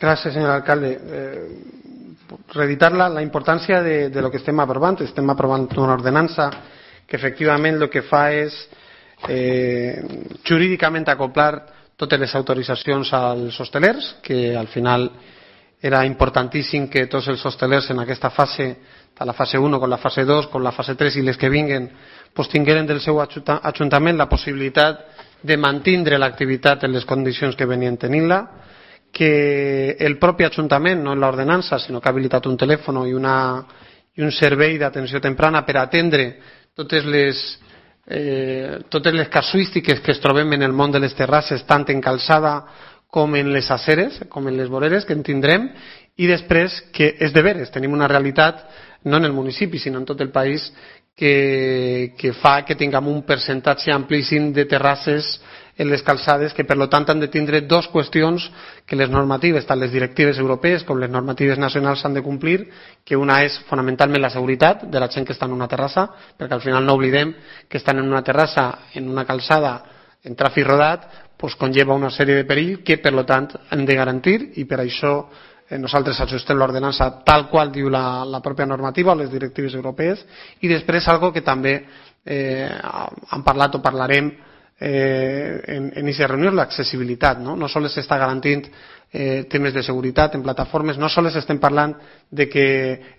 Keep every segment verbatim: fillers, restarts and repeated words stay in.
Gràcies, senyor alcalde. Eh, reeditar la, la importància de, de lo que estem aprovant. Estem aprovant una ordenança que efectivament el que fa és eh, jurídicament acoplar totes les autoritzacions als hostelers, que al final era importantíssim que tots els hostelers en aquesta fase, tant la fase un com la fase dos, com la fase tres i les que vinguen, pues, tingueren del seu ajuntament la possibilitat de mantindre l'activitat en les condicions que venien tenint-la, que el propi ajuntament, no en l'ordenança, sinó que ha habilitat un telèfon i, una, i un servei d'atenció temprana per atendre totes les, eh, totes les casuístiques que es trobem en el món de les terrasses, tant en calçada com en les aceres, com en les voreres que en tindrem, i després que és de veres, tenim una realitat no en el municipi sinó en tot el país que, que fa que tinguem un percentatge amplíssim de terrasses en les calçades que per tant han de tindre dues qüestions que les normatives, tant les directives europees com les normatives nacionals han de complir, que una és fonamentalment la seguretat de la gent que està en una terrassa, perquè al final no oblidem que estan en una terrassa, en una calçada, en tràfic rodat, pues, conlleva una sèrie de perill que per tant hem de garantir i per això eh, nosaltres ajustem l'ordenança tal qual diu la, la pròpia normativa o les directives europees. I després algo que també eh, han parlat o parlarem eh, en aquesta reunió, l'accessibilitat. No, no sols s'està garantint eh, temes de seguretat en plataformes, no sols estem parlant de que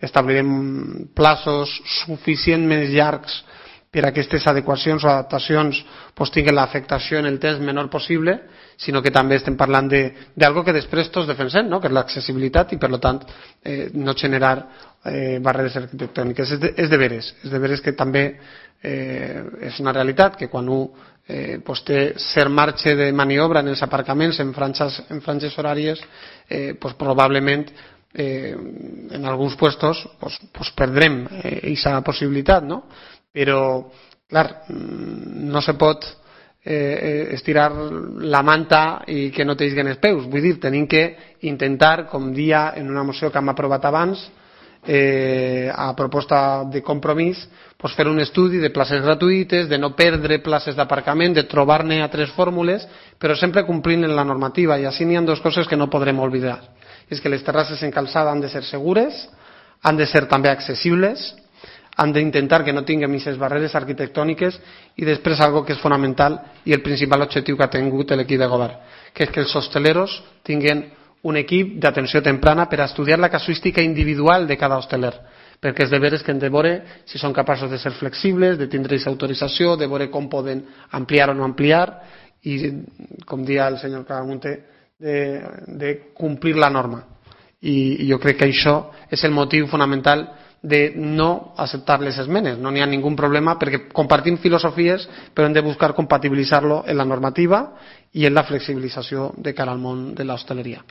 establirem plaços suficientment llargs per a aquestes adequacions o adaptacions pues, tinguin l'afectació en el temps menor possible, sinó que també estem parlant d'algo que després tots defensem, no? Que és l'accessibilitat i per tant eh, no generar eh, barreres arquitectòniques. És de, és de veres, és de veres que també eh, és una realitat que quan un eh, pues, té cert marge de maniobra en els aparcaments en franges, en franges horàries eh, pues, probablement eh, en alguns puestos pues, pues, perdrem aquesta eh, possibilitat, no? Però, clar, no se pot eh, estirar la manta i que no t'eixguen els peus. Vull dir, tenim que intentar, com dia en una moció que hem aprovat abans, eh, a proposta de compromís, pues, fer un estudi de places gratuïtes, de no perdre places d'aparcament, de trobar-ne altres fórmules, però sempre complint en la normativa. I així n'hi ha dues coses que no podrem oblidar. És que les terrasses en calçada han de ser segures, han de ser també accessibles, han d'intentar que no tinguem aquestes barreres arquitectòniques i després algo que és fonamental i el principal objectiu que ha tingut l'equip de govern, que és que els hosteleros tinguin un equip d'atenció temprana per a estudiar la casuística individual de cada hosteler, perquè és de veres que hem de veure si són capaços de ser flexibles, de tindre aquesta autorització, de veure com poden ampliar o no ampliar i, com dia el senyor Caramunte, de, de complir la norma. I, i jo crec que això és el motiu fonamental de no acceptar les esmenes. No n'hi ha ningú problema perquè compartim filosofies però hem de buscar compatibilitzar-lo en la normativa i en la flexibilització de cara al món de l'hostaleria.